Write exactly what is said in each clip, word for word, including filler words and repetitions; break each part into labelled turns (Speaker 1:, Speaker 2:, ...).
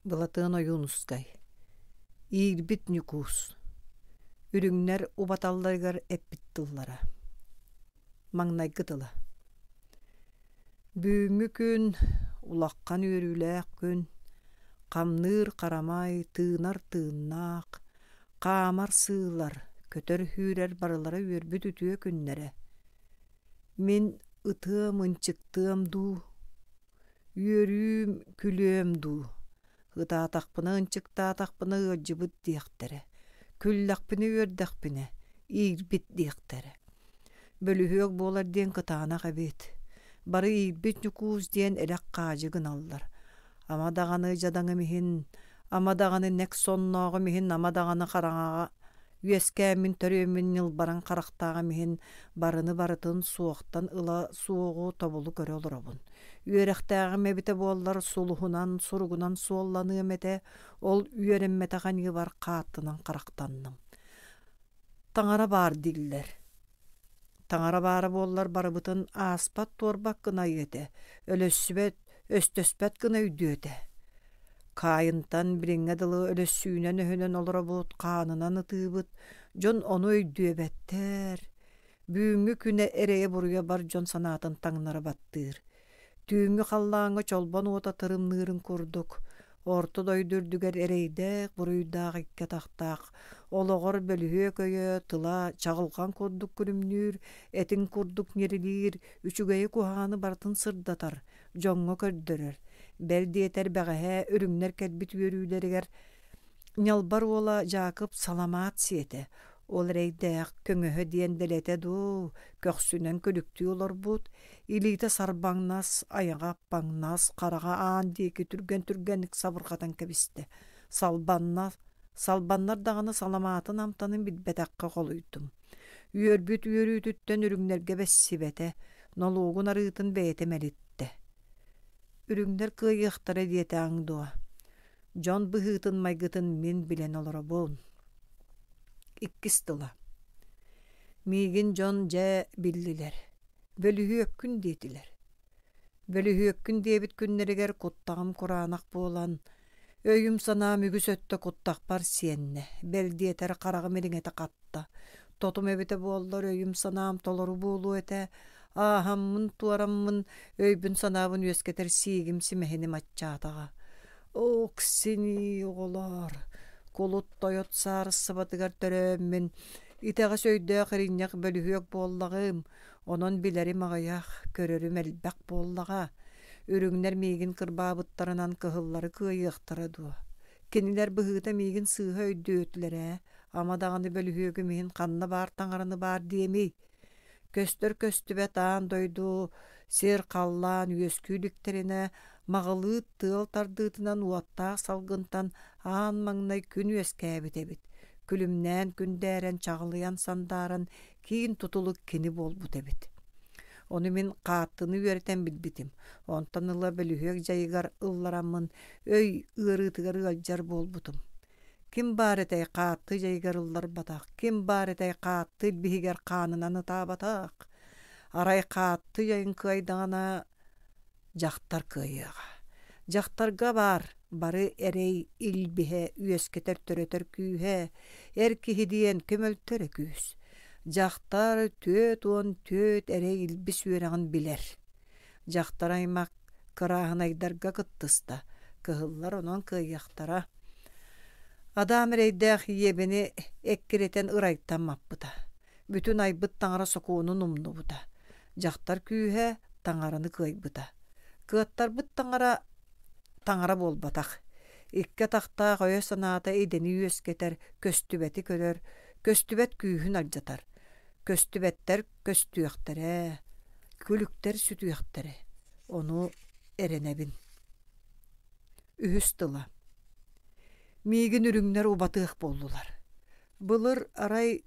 Speaker 1: Былатыан Ойуунускай Иирбит Ньукуус Үрүҥнэр убаталларыгар эппит тыллара Маҥнайгы тыла Бүгүҥҥү күн улахан үөрүүлээх күн, хамныыр харамай, тыынар тыыннаах, хаамар сыылар, көтөр сүүрэр барылара үөрбүт үтүө күннэрэ. Мин ытыам ынчыктыам дуу, үөрүүм күлүөм дуу, ытаатахпына ынчыктаатахпына ыалдьыбыт диэхтэрэ, күллэхпинэ үөрдэхпинэ иирбит диэхтэрэ. Бөлүһүөк буолар диэн кытаанах эбит. Бары иирбит Ньукуус диэн элэх хаадьы гыналлар. Ама даҕаны дьадаҥым иһин, ама даҕаны нэк соннооҕум иһин, ама даҕаны хараҥаҕа үөскээммин төрүөммүн ньылбараҥ харахтааҕым иһин барыны барытын суохтан ыла суоҕу тобулу көрө олоробун. Үөрэхтээҕим эбитэ буоллар сулуһунан, суругунан суолланыам этэ, ол үөрэммэтэх аньыыбар хааттынан харахтанным. Таҥара баар дииллэр. Таҥара баара буоллар барыбытын ааспат туорбат гына айыа этэ, өлөссүбэт, өстөспөт гына өйдүө этэ. Каайынтан билиҥҥэ дылы өлөссүүнэн өһүнэн олоробут, хаанынан ытыыбыт, дьон ону өйдүөбэттэр. Бүгүҥҥү күнэ эрэйэ-буруйа бар дьон санаатын таҥнары баттыыр. Түүҥҥү халлааҥҥа чолбон уота тырымныырын курдук, орто дойду үрдүгэр эрэйдээх, буруйдаах икки атахтаах, олоҕор бөлүһүөк өйө, тыла чаҕылҕан курдук күлүмнүүр, этиҥ курдук ньирилиир, үчүгэйи куһаҕаны барытын сырдатар, дьоҥҥо көрдөрөр. Бэл диэтэр бэҕэһээ үрүҥнэр кэлбит үөрүүлэригэр Ньалбар уола Дьаакып саламаат сиэтэ, ол эрэйдээх көҥөһө диэн дэлэтэ дуу, көхсүнэн күлүктүү олорбут, илиитэ сарбаҥнас, айаҕа аппаҥнас, хараҕа аан диэки түргэн-түргэнник сабырҕатан кэбистэ. Салбанна, салбаннар даҕаны саламаатын амтанын билбэтэххэ холуйдум. Үөрбүт үөрүүтүттэн үрүҥнэргэ бэссибэтэ, нолуогун арыытын бэйэтэ мэлиттэ. Үрүҥнэр кыайыахтара диэтэҕиҥ дуо? Дьон быһыытын-майгытын мин билэн олоробун. Иккис тыла. Миигин дьон дьэ биллилэр. Бөлүһүөккүн диэтилэр. Бөлүһүөккүн диэбит күннэригэр куттаҕым кураанах буолан, өйүм-санаам үгүс өттө куттахпар сиэннэ, бэл диэтэр хараҕым ириҥэтэ хатта. Тотум эбитэ буоллар өйүм-санаам толору буолуо этэ, ааһаммын туораммын өйбүн-санаабын үөскэтэр сиигим симэһиним аччаатаҕа. Оксини оҕолоор, кулут тойот саарыссыбатыгар төрөөммүн, итэҕэс өйдөөх иринньэх бөлүһүөк буоллаҕым, онон билэрим аҕыйах, көрөрүм элбэх буоллаҕа. Үрүҥнэр миигин кырбаабыттарынан кыһыллары кыайыахтара дуо? Кинилэр быһыыта миигин сыыһа өйдүөтүлэр ээ, ама даҕаны бөлүһүөгүм иһин ханна баар таҥараны баар диэмий? Көстөр көстүбэт аан дойду сир халлаан үөскүү иликтэринэ маҕылыыт тыал тардыытынан уоттаах салгынтан аан маҥнай күн үөскээбит эбит. Күлүмнээн күндээрэн чаҕылыйан сандааран киин тутулук кини буолбут эбит. Ону мин хааттыны үөрэтэн билбитим. Онтон ыла бөлүһүөк дьайыгар ыллараммын өй ыарыытыгар ыалдьар буолбутум. Ким баар этэй хаатты дьайыгар ылларбатах, ким баар этэй хаатты илбиһигэр хаанынан ытаабатах. Арай хаатты дьайын кыайдаҕына дьахтар кыайыаҕа. Дьахтарга баар бары эрэй илбиһэ үөскэтэр төрөтөр күүһэ, эр киһи диэн көмөлтөрө күүс. Дьахтар түөрт уон түөрт эрэй илбис үөрэҕин билэр. Дьахтар аймах кырааһынайдарга кыттыста, кыһыллар онон кыайыахтара. Адаам эрэйдээх ийэбини эккирэтэн ырайтан маппыта. Бүтүн айбыт таҥара сокуонун умнубута. Дьахтар күүһэ таҥараны кыайбыта. Кыаттарбыт таҥара таҥара буолбатах. Икки атахтаах өйө-санаата идэни үөскэтэр, көстүбэти көрөр, көстүбэт күүһүн алдьатар. Көстүбэттэр көстүөхтэрэ, күлүктэр сүтүөхтэрэ. Ону эрэнэбин. Үһүс тыла. Миигин үрүҥнэр убатыах буоллулар. Былыр арай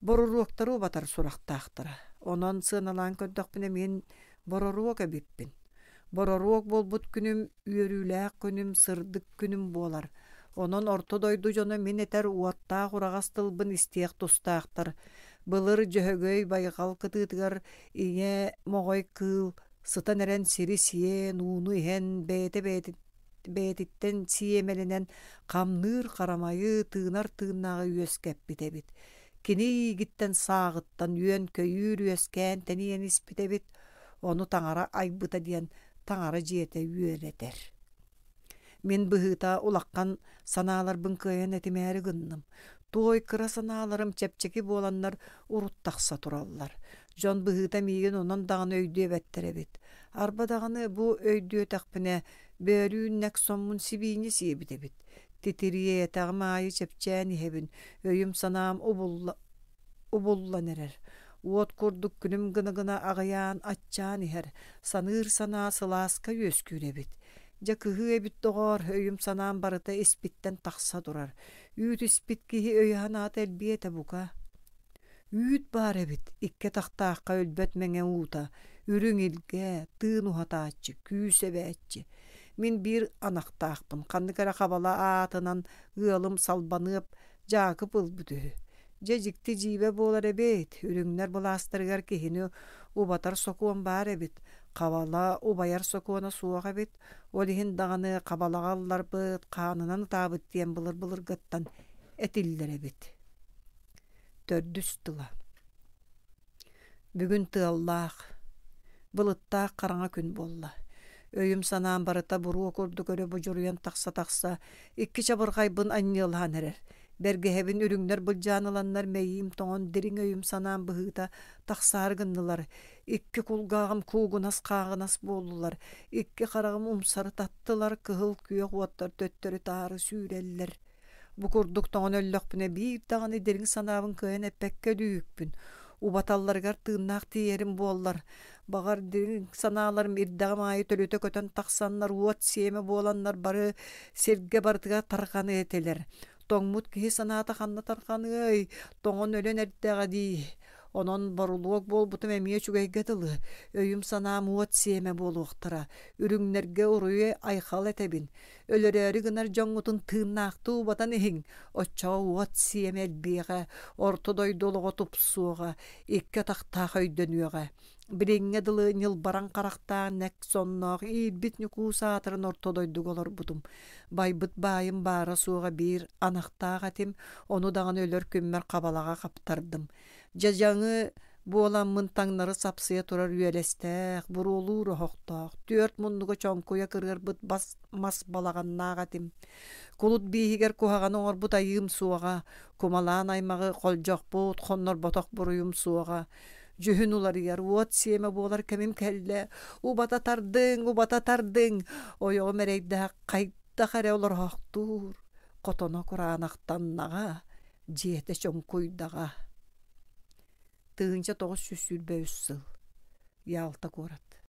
Speaker 1: боруруоктары убатар сурахтаахтара. Онон сыаналаан көрдөхпүнэ мин бороруок эбиппин. Бороруок буолбут күнүм үөрүүлээх күнүм, сырдык күнүм буолар. Онон орто дойду дьоно мин этэр уоттаах ураҕас тылбын истиэх тустаахтар. Былыр Дьөһөгөй байҕал кытыытыгар ийэ моҕой кыыл сытан эрэн сири сиэн, ууну иһэн бэйэтэ бэйэтин Бэйэтиттэн сиэмэлэнэн хамныыр харамайы, тыынар тыыннааҕы үөскэппит эбит. Кини иигиттэн сааҕыттан үөн-көйүүр үөскээн тэнийэн испит эбит. Ону таҥара айбыта диэн таҥара дьиэтэ үөрэтэр. Мин быһыыта улахан санааларбын кыайан этимээри гынным. Туой кыра санааларым чэпчэки буоланнар урут тахса тураллар. Дьон быһыыта миигин онон даҕаны өйдүөбэттэр эбит. Арба даҕаны бу өйдүөтэхпинэ, бөөлүүн нэк соммун сибиинньэ сиэбит эбит. Титириэтэҕим аайы чэпчээн иһэбин, өйүм-санаам убулла, убуллан эрэр. Уот курдук күлүм гына-гына аҕыйаан, аччаан иһэр, саныыр санаа сылааска үөскүүр эбит. Дьэ кыһыы эбит доҕоор, өйүм-санаам барыта испиттэн тахса турар. Үүт испит киһи өйө-санаата элбиэ этэ бука. Үүт баар эбит, икки атахтаахха өлбөт мэҥэ уута, үрүҥ илгэ, тыын уһатааччы, күүс эбээччи. Мин биир анахтаахпын, ханнык эрэ хабала аатынан ыалым Салбаныап Дьаакып ылбыт үһү. Дьэ дьикти дьиибэ буолар эбит, үрүҥнэр былаастарыгар киһини убатар сокуон баар эбит, хабала убайар сокуона суох эбит, ол иһин даҕаны хабалаҕа ылларбыт, хаанынан ытаабыт диэн былыр-былыргыттан этиллэр эбит. Төрдүс тыла. Бүгүн тыаллаах, былыттаах хараҥа күн буолла. Өйүм-санаам барыта буруо курдук өрө будьуруйан тахса-тахса, икки чабырҕайбын анньыалаһан эрэр. Бэргэһэбин үрүҥнэр былдьаан ыланнар мэйиим тоҥон дириҥ өйүм-санаам быһыыта тахсаары гыннылар. Икки кулгааҕым куугунас-хааҕынас буоллулар, икки хараҕым умсары таттылар, кыһыл күөх уоттар төттөрү-таары сүүрэллэр. Бу курдук тоҥон өллөхпүнэ биир даҕаны дириҥ санаабын кыайан эппэккэ өлүүһүкпүн. Убаталларыгар тыыннаах тиийэрим буоллар, баҕар дириҥ санааларым ирдэҕим аайы төлүтэ көтөн тахсаннар уот сиэмэ буоланнар бары сиргэ барытыгар тарҕаныа этилэр. Тоҥмут киһи санаата ханна тарҕаныай, тоҥон өлөн эрдэҕэ дии. Онон борулуок буолбутум эмиэ үчүгэйгэ дылы, өйүм-санаам уот сиэмэ буолуохтара, үрүҥнэргэ уруйу айхал этэбин. Өлөрөөрү гынар дьоҥҥутун тыыннаахтыы убатан иһиҥ, оччоҕо уот сиэмэ элбиэҕэ, орто дойду олоҕо тупсуоҕа, икки атахтаах өйдөнүөҕэ. Билиҥҥэ дылы ньылбараҥ харахтаах нэк сонноох иирбит Ньукуус аатыран орто дойдуга олорбутум. Байбыт баайым баара-суоҕа биир анахтаах этим, ону даҕаны өлөр күммэр хабалаҕа хаптардым. Дьадьаҥы буоламмын таҥнары сапсыйа турар үөлэстээх, буруолуур оһохтоох, түөрт муннуга чоҥкуйа кырыарбыт бас мас балаҕаннаах этим. Кулут бииһигэр куһаҕаны оҥорбут айыым суоҕа, кумалаан аймаҕы холдьохпут, хоннорботох буруйум суоҕа. Дьүһүн уларыйар, уот сиэмэ буолар кэмим кэллэ. Убата тардыҥ, убата тардыҥ! Ойоҕум эрэйдээх хайдах эрэ олороохтуур, хотоно кураанахтаннаҕа, дьиэтэ чоҥкуйдаҕа. Тыһыынча тоҕус сүүс сүүрбэ үс сыл. Ялта куорат.